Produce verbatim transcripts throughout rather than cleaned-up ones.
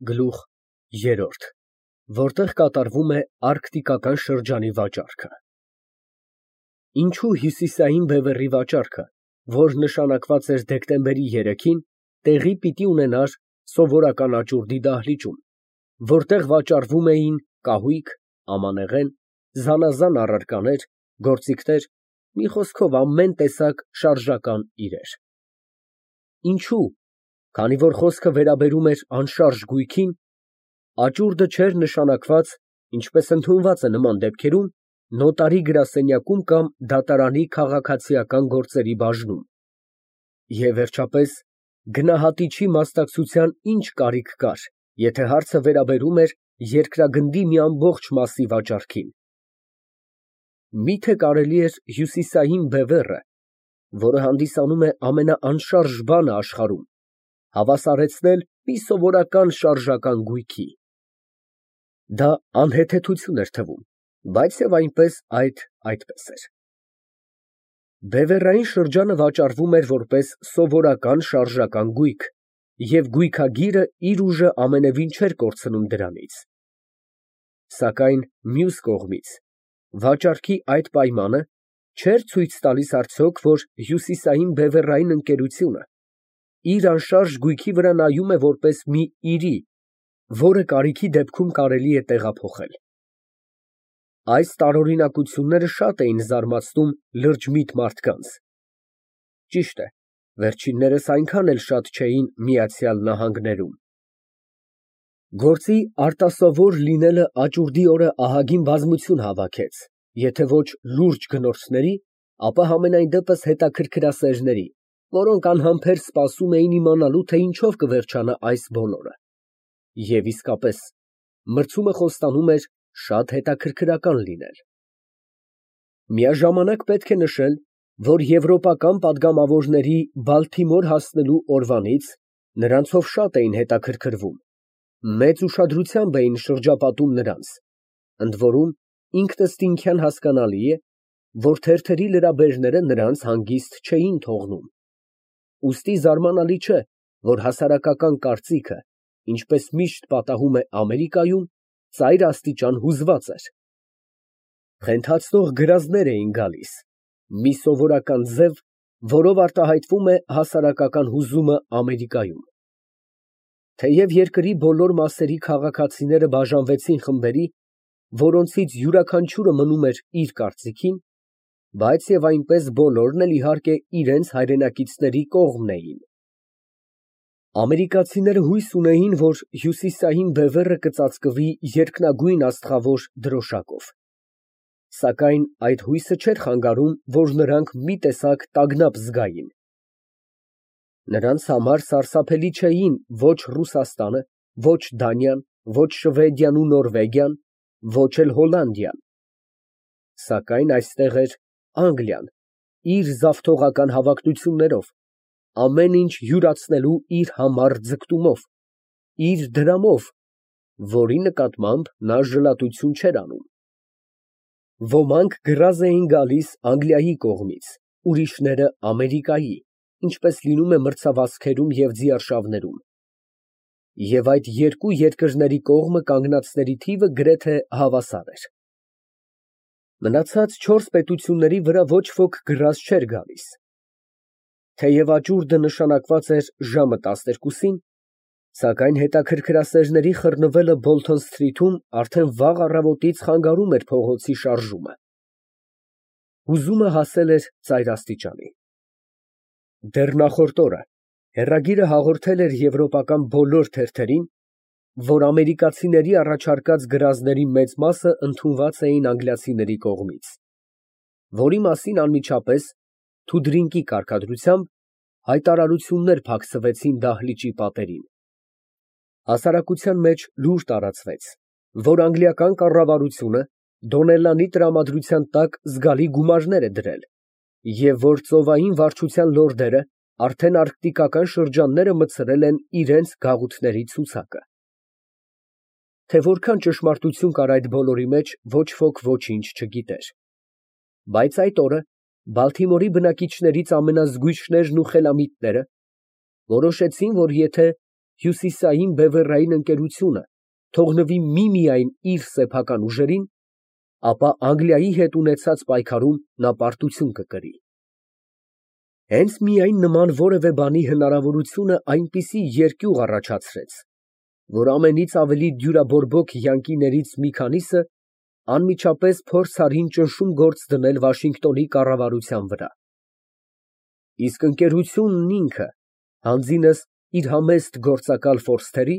Գլուխ երրորդ, որտեղ կատարվում է արկտիկական շրջանի վաճառքը։ Ինչո՞ւ Հյուսիսային բևեռի վաճառքը, որ նշանակված էր դեկտեմբերի երեքին, տեղի պիտի ունենար սովորական աճուրդի դահլիճում, որտեղ վաճառվում էին կահույք, ամանեղեն, զանազան առարկաներ, գործիքներ, մի խոսքով ամեն տեսակ շարժական իրեր։ Ինչո՞ւ, քանի որ խոսքը վերաբերում էր անշարժ գույքին, աճուրդը չէր նշանակված, ինչպես ընդունված է նման դեպքերում, նոտարի գրասենյակում կամ դատարանի քաղաքացիական գործերի բաժնում։ Եվ վերջապես, գնահատիչի մասնակցության ինչ կարիք կար, եթե հարցը վերաբերում էր երկրագնդի մի ամբողջ մասի վաճառքին։ Մի՞թե կարելի էր հյուսիսային բևեռը, որը հանդիսանում է ամենաանշարժ բանը աշխարհում, հավասարեցնել մի սովորական շարժական գույքի։ Դա անհեթեթություն էր թվում, բայց և այնպես այդ այդպես էր։ Բևեռային շրջանը վաճառվում էր որպես սովորական շարժական գույք, և գույքագիրը իր ուժը ամենևին չէր կորցնում դրանից։ Սակայն մյուս կողմից, վաճառքի այդ պայմանը չէր ցույց տալիս արդյոք, որ հյուսիսային բևեռային ընկերությունը իր անշարժ գույքի վրա նայում է որպես մի իրի, որը կարիքի դեպքում կարելի է տեղափոխել։ Այս տարօրինակությունները շատ էին զարմացնում լրջմիտ մարդկանց։ Ճիշտ է, վերջիններս այնքան էլ շատ չէին Միացյալ Նահանգներում։ Գործի արտասովոր լինելը աճուրդի օրը ահագին բազմություն հավաքեց, եթե ոչ լուրջ գնորդների, ապա համենայն դեպս հետաքրքրասերների, որոնք անհամբեր սպասում էին իմանալու, թե ինչով կվերջանա այս բոլորը։ Եվ իսկապես, մրցումը խոստանում էր շատ հետաքրքրական լինել։ Միաժամանակ պետք է նշել, որ եվրոպական պատգամավորների Բալթիմոր հասնելու օրվանից նրանցով շատ էին հետաքրքրվում, մեծ ուշադրությամբ էին շրջապատում նրանց, ընդ որում ինքնըստինքյան հասկանալի է, որ թերթերի լրաբերները նրանց հանգիստ չէին թողնում։ Ուստի զարմանալի չէ, որ հասարակական կարծիքը, ինչպես միշտ պատահում է Ամերիկայում, ծայրաստիճան հուզված էր։ Փնթացնող գրազներ էին գալիս, մի սովորական ձև, որով արտահայտվում է հասարակական հուզումը Ամերիկայում։ Թեև երկրի բոլոր մասերի քաղաքացիները բաժանվեցին խմբերի, որոնցից յուրաքանչյուրը մնում էր իր կարծիքին, բայց և այնպես բոլորն էլ իհարկե իրենց հայրենակիցների կողմն էին։ Ամերիկացիները հույս ունեին, որ հյուսիսային բևեռը կծածկվի երկնագույն աստղավոր դրոշակով։ Սակայն այդ հույսը չէր խանգարում, որ նրանք մի տեսակ տագնապ զգային։ Նրանց համար սարսափելի չէին ոչ Ռուսաստանը, ոչ Դանիան, ոչ Շվեդիան ու Նորվեգիան, ոչ էլ Հոլանդիան։ Սակայն այստեղ էր Անգլիան իր զավթողական հավակնություններով, ամեն ինչ յուրացնելու իր համառ ձգտումով, իր դրամով, որի նկատմամբ նա ժլատություն չէր անում։ Ոմանք գրազ էին գալիս Անգլիայի կողմից, ուրիշները Ամերիկայի, ինչպես լինում է մրցավազքերում և ձիարշավներում։ Եվ այդ երկու երկրների կողմը կանգնածների թիվը գրեթե հավասար էր։ Մնացած չորս պետությունների վրա ոչ ոք գրազ չէր գալիս։ Թեև աճուրդը նշանակված էր ժամը տասներկուսին, սակայն հետաքրքրասերների խռնվելը Բոլթոն Սթրիթում արդեն վաղ առավոտից խանգարում էր փողոցի շարժումը։ Հուզումը հասել էր ծայրաստիճանի։ Դեռ նախորդ օրը հեռագիրը հաղորդել էր եվրոպական բոլոր թերթերին, որ ամերիկացիների առաջարկած գրազների մեծ մասը ընդունված էին անգլիացիների կողմից, որի մասին անմիջապես, թուդրինկի կարգադրությամբ, հայտարարություններ փակցվեցին դահլիճի պատերին։ Հասարակության մեջ լուր տարածվեց, որ անգլիական կառավարությունը Դոնելլանի տրամադրության տակ զգալի գումարներ է դրել, և որ ծովային վարչության լորդերը արդեն արկտիկական շրջանները մտցրել են իրենց գաղութների ցուցակը։ Թե որքան ճշմարտություն կար այդ բոլորի մեջ, ոչ ոք ոչինչ չգիտեր։ Բայց այդ օրը Բալթիմորի բնակիչներից ամենազգույշներն ու խելամիտները որոշեցին, որ եթե հյուսիսային բևեռային ընկերությունը թողնվի միմիայն իր սեփական ուժերին, ապա Անգլիայի հետ ունեցած պայքարում նա պարտություն կկրի։ Հենց միայն նման որևէ բանի հնարավորությունը այնպիսի երկյուղ առաջացրեց, որ ամենից ավելի դյուրաբորբոք յանկիներից մի քանիսը անմիջապես փորձ արին ճնշում գործ դնել Վաշինգտոնի կառավարության վրա։ Իսկ ընկերությունն ինքը, հանձինս իր համեստ գործակալ ֆորստերի,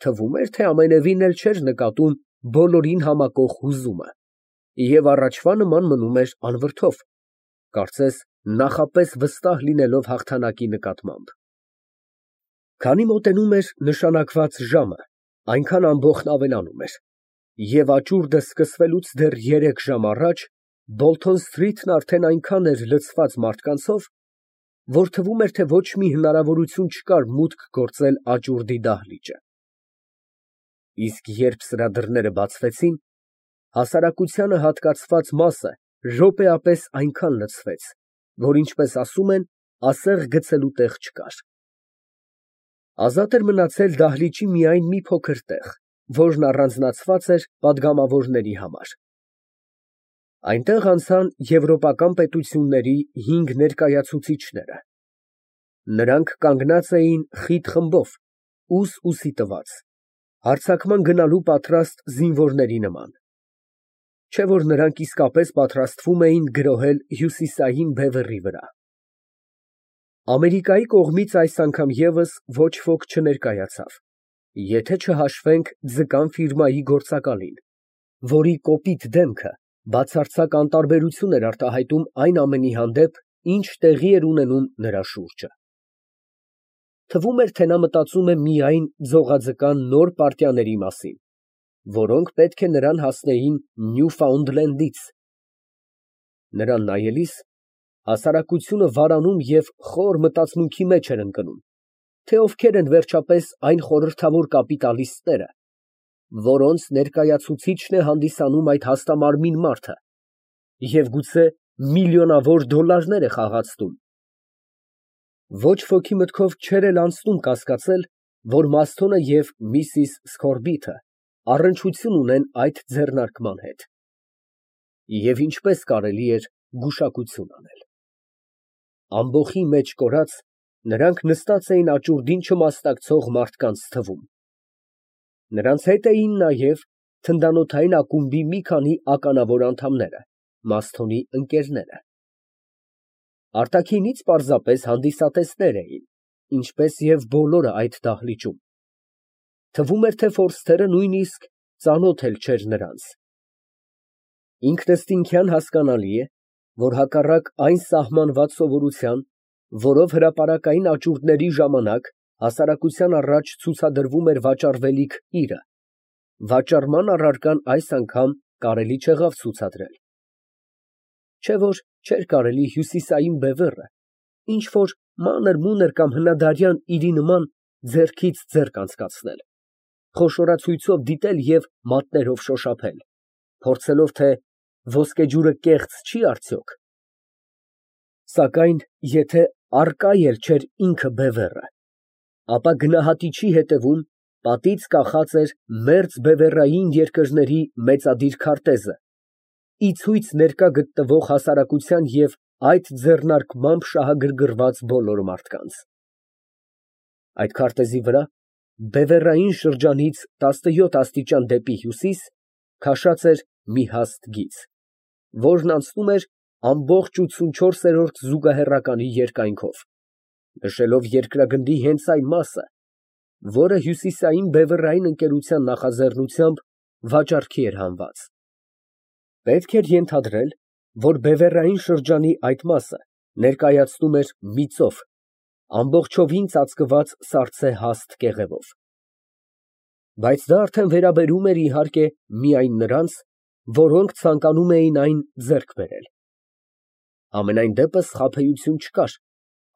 թվում էր, թե ամենևին էլ չէր նկատում բոլորին համակող հուզումը և առաջվա նման մնում էր անվրդով, կարծես նախապես վստահ լինելով հաղթանակի նկատմամբ։ Քանի մոտենում էր նշանակված ժամը, այնքան ամբոխն ավելանում էր, և աճուրդը սկսվելուց դեռ երեք ժամ առաջ Բոլթոն Սթրիթն արդեն այնքան էր լցված մարդկանցով, որ թվում էր, թե ոչ մի հնարավորություն չկար մուտք գործել աճուրդի դահլիճը։ Իսկ երբ սրա դռները բացվեցին, հասարակությանը հատկացված մասը րոպեապես այնքան լցվեց, որ, ինչպես ասում են, ասեղ գցելու տեղ չկար։ Ազատ էր մնացել դահլիճի միայն մի փոքր տեղ, որն առանձնացված էր պատգամավորների համար։ Այնտեղ անցան եվրոպական պետությունների հինգ ներկայացուցիչները։ Նրանք կանգնած էին խիտ խմբով, ուս֊ուսի տված, հարձակման գնալու պատրաստ զինվորների նման, չէ՞ որ նրանք իսկապես պատրաստվում էին գրոհել հյուսիսային բևեռի վրա։ Ամերիկայի կողմից այս անգամ ևս ոչ ոք չներկայացավ, եթե չհաշվենք Ձկան ֆիրմայի գործակալին, որի կոպիտ դեմքը բացարձակ անտարբերություն էր արտահայտում այն ամենի հանդեպ, ինչ տեղի էր ունենում նրա շուրջը։ Թվում էր, թե նա մտածում է միայն ձողաձկան նոր պարտիաների մասին, որոնք պետք է նրան հասնեին Նյուֆաունդլենդից։ Նրան նայելիս հասարակությունը վարանում և խոր մտածմունքի մեջ էր ընկնում, թե ովքեր են վերջապես այն խորհրդավոր կապիտալիստները, որոնց ներկայացուցիչն է հանդիսանում այդ հաստամարմին մարդը և գուցե միլիոնավոր դոլարներ է խաղացնում։ Ոչ ոքի մտքով չէր էլ անցնում կասկածել, որ Մասթոնը և միսիս Սքորբիթը առնչություն ունեն այդ ձեռնարկման հետ, և ինչպես կարելի էր գուշակություն անել։ Ամբոխի մեջ կորած, նրանք նստած էին աճուրդին չմասնակցող մարդկանց թվում։ Նրանց հետ էին նաև թնդանոթային ակումբի մի քանի ականավոր անդամները, Մասթոնի ընկերները։ Արտաքինից պարզապես հանդիսատեսներ էին, ինչպես և բոլորը այդ դահլիճում։ Թվում էր, թե ֆորստերը նույնիսկ ծանոթ էլ չէր նրանց։ Ինքնըստինքյան հասկանալի է, որ հակառակ այն սահմանված սովորության, որով հրապարակային աճուրդների ժամանակ հասարակության առաջ ցուցադրվում էր վաճառվելիք իրը, վաճառման առարկան այս անգամ կարելի չեղավ ցուցադրել։ Չէ՞ որ չէր կարելի հյուսիսային բևեռը ինչ֊որ մանր֊մունր կամ հնադարյան իրի նման ձեռքից ձեռք անցկացնել, խոշորացույցով դիտել և մատներով շոշափել, փորձելով, թե ոսկեջուրը կեղծ չի արդյոք։ Սակայն եթե առկա էլ չէր ինքը բևեռը, ապա գնահատիչի հետևում պատից կախած էր մերձ բևեռային երկրների մեծադիր քարտեզը, ի ցույց ներկա գտնվող հասարակության և այդ ձեռնարկմամբ շահագրգռված բոլոր մարդկանց։ Այդ քարտեզի վրա, բևեռային շրջանից տասնյոթ աստիճան դեպի հյուսիս, քաշած էր մի հաստ գիծ, որն անցնում էր ամբողջ ութսունչորսերորդ զուգահեռականի երկայնքով, նշելով երկրագնդի հենց այն մասը, որը հյուսիսային բևեռային ընկերության նախաձեռնությամբ վաճառքի էր հանված։ Պետք էր ենթադրել, որ բևեռային շրջանի այդ մասը ներկայացնում էր մի ծով, ամբողջովին ծածկված սառցե հաստ կեղևով։ Բայց դա արդեն վերաբերում էր, իհարկե, միայն նրանց, որոնք ցանկանում էին այն ձեռք բերել։ Համենայն դեպս խաբեություն չկար,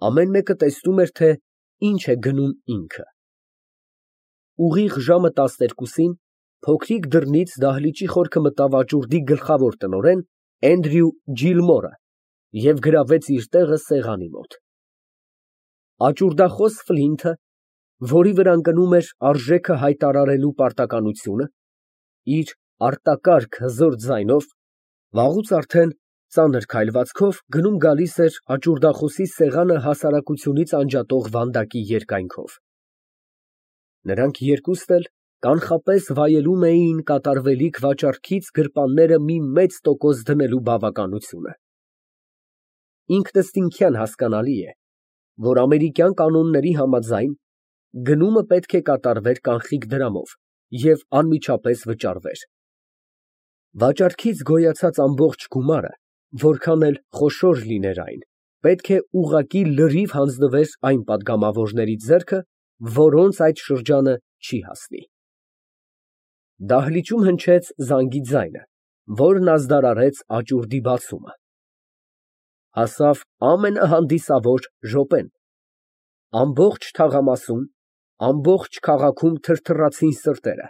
ամեն մեկը տեսնում էր, թե ինչ է գնում ինքը։ Ուղիղ ժամը տասներկուսին փոքրիկ դռնից դահլիճի խորքը մտավ աճուրդի գլխավոր տնօրեն Էնդրյու Ջիլմորը և գրավեց իր տեղը սեղանի մոտ։ Աճուրդախոս Ֆլինթը, որի վրա ընկնում էր արժեքը հայտարարելու պարտականությունը, իր արտակարգ հզոր ձայնով, վաղուց արդեն ծանր քայլվածքով գնում֊գալիս էր աճուրդախոսի սեղանը հասարակությունից անջատող վանդակի երկայնքով։ Նրանք երկուստ էլ կանխապես վայելում էին կատարվելիք վաճառքից գրպանները մի մեծ տոկոս դնելու բավականությունը։ Ինքնըստինքյան հասկանալի է, որ ամերիկյան կանոնների համաձայն գնումը պետք է կատարվեր կանխիկ դրամով և անմիջապես վճարվեր։ Վաճառքից գոյացած ամբողջ գումարը, որքան էլ խոշոր լիներ այն, պետք է ուղղակի լրիվ հանձնվեր այն պատգամավորների ձեռքը, որոնց այդ շրջանը չի հասնի։ Դահլիճում հնչեց զանգի ձայնը, որն ազդարարեց աճուրդի բացումը։ Հասավ ամենահանդիսավոր րոպեն։ Ամբողջ թաղամասում, ամբողջ քաղաքում թրթռացին սրտերը,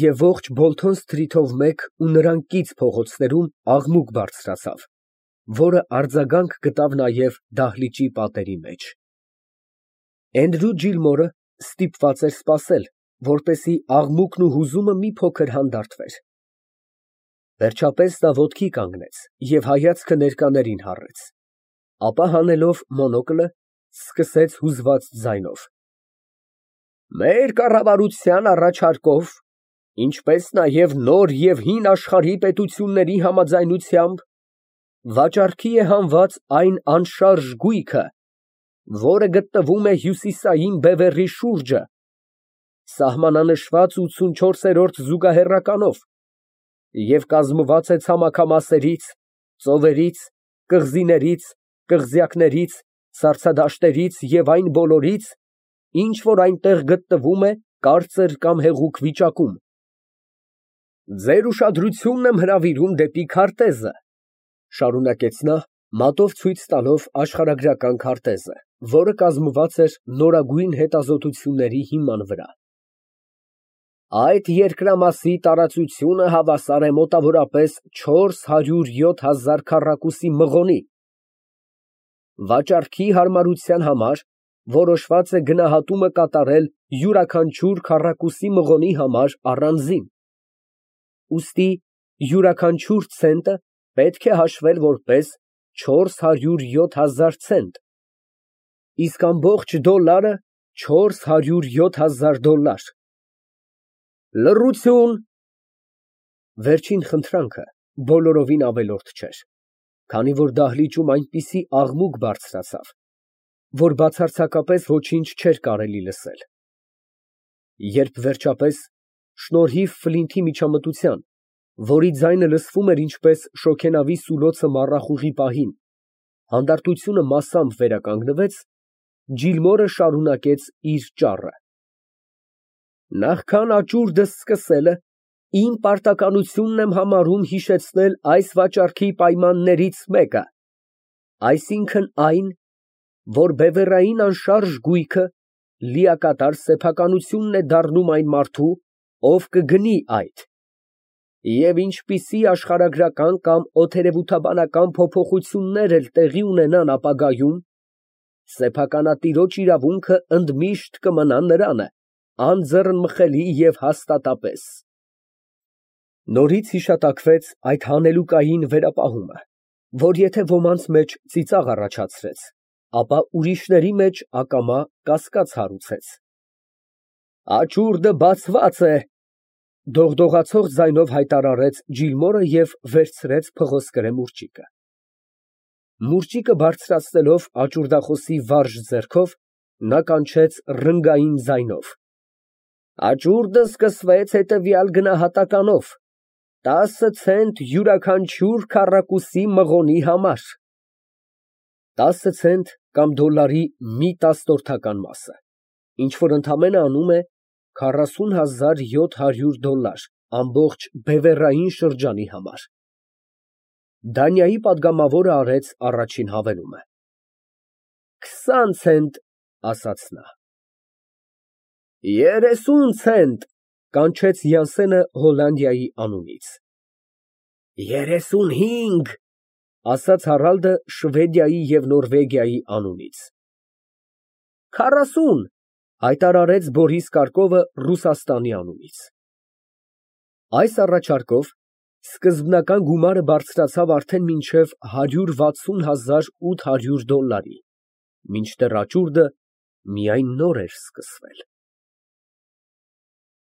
և ողջ Բոլթոն սթրիթով մեկ ու նրան կից փողոցներում աղմուկ բարձրացավ, որը արձագանք գտավ նաև դահլիճի պատերի մեջ։ Էնդրյու Ջիլմորը ստիպված էր սպասել, որպեսզի աղմուկն ու հուզումը մի փոքր հանդարտվեր։ Վերջապես նա ոտքի կանգնեց և հայացքը ներկաներին հառեց, ապա հանելով մոնոկլը, սկսեց հուզված ձայնով. «Մեր կառավարության առաջարկով, ինչպես նաև նոր և հին աշխարհի պետությունների համաձայնությամբ, վաճառքի է հանված այն անշարժ գույքը, որը գտնվում է Հյուսիսային Բևեռի շուրջը, սահմանանշված ութսունչորսերորդ զուգահեռականով և կազմված է ցամաքամասերից, ծովերից, կղզիներից, կղզյակներից, սառցադաշտերից և այն բոլորից, ինչ որ այնտեղ գտնվում է կարծր կամ հեղուկ վիճակում։ Ձեր ուշադրությունն եմ հրավիրում դեպի քարտեզը», ֊ շարունակեց նա, մատով ցույց տալով աշխարհագրական քարտեզը, որը կազմված էր նորագույն հետազոտությունների հիման վրա։ «Այդ երկրամասի տարածությունը հավասար է մոտավորապես չորս հարյուր յոթ հազար քառակուսի մղոնի։ Վաճառքի հարմարության համար որոշված է գնահատումը կատարել յուրաքանչյուր քառակուսի մղոնի համար առանձին, ուստի յուրաքանչյուր ցենտը պետք է հաշվել որպես չորս հարյուր յոթ հազար ցենտ, իսկ ամբողջ դոլարը չորս հարյուր յոթ հազար դոլար։ Լռություն»։ Վերջին խնդրանքը բոլորովին ավելորդ չէր, քանի որ դահլիճում այնպիսի աղմուկ բարձրացավ, որ բացարձակապես ոչինչ չէր կարելի լսել։ Երբ վերջապես, շնորհիվ Ֆլինթի միջամտության, որի ձայնը լսվում էր ինչպես շոգենավի սուլոցը մառախուղի պահին, հանդարտությունը մասամբ վերականգնվեց, Ջիլմորը շարունակեց իր ճառը. «Նախքան աճուրդս սկսելը, իմ պարտականությունն եմ համարում հիշեցնել այս վաճառքի պայմաններից մեկը, այսինքն այն, որ բևեռային անշարժ գույքը լիակատար սեփականությունն է դառնում այն մարդու, ով կգնի այդ, և ինչպիսի աշխարհագրական կամ օդերևութաբանական փոփոխություններ էլ տեղի ունենան ապագայում, սեփականատիրոջ իրավունքը ընդմիշտ կմնա նրանը, անձեռնմխելի և հաստատապես»։ Նորից հիշատակվեց այդ հանելուկային վերապահումը, որ եթե ոմանց մեջ ծիծաղ առաջացրեց, ապա ուրիշների մեջ ակամա կասկած հարուցեց։ «Աճուրդը բացված է», ֊ դողդողացող ձայնով հայտարարեց Ջիլմորը և վերցրեց փղոսկրե մուրճիկը։ Մուրճիկը բարձրացնելով աճուրդախոսի վարժ ձեռքով, նա կանչեց ռնգային ձայնով. «Աճուրդը սկսվեց հետևյալ գնահատականով. տասը ցենտ յուրաքանչյուր քառակուսի մղոնի համար»։ Տասը ցենտ կամ դոլարի մի տասնորդական մասը, ինչ որ ընդամենը անում է քառասուն հազար յոթ հարյուր դոլար ամբողջ բևեռային շրջանի համար։ Դանիայի պատգամավորը արեց առաջին հավելումը։ «Քսան ցենտ», ֊ ասաց նա։ «Երեսուն ցենտ», ֊ կանչեց Յանսենը Հոլանդիայի անունից։ «Երեսունհինգ», ֊ ասաց Հարալդը Շվեդիայի և Նորվեգիայի անունից։ «Քառասուն», Հայտարարեց Բորիս Կարկովը Ռուսաստանի անունից։ Այս առաջարկով սկզբնական գումարը բարձրացավ արդեն մինչև հարյուր վաթսուն հազար ութ հարյուր դոլլարի, մինչդեռ աճուրդը միայն նոր էր սկսվել։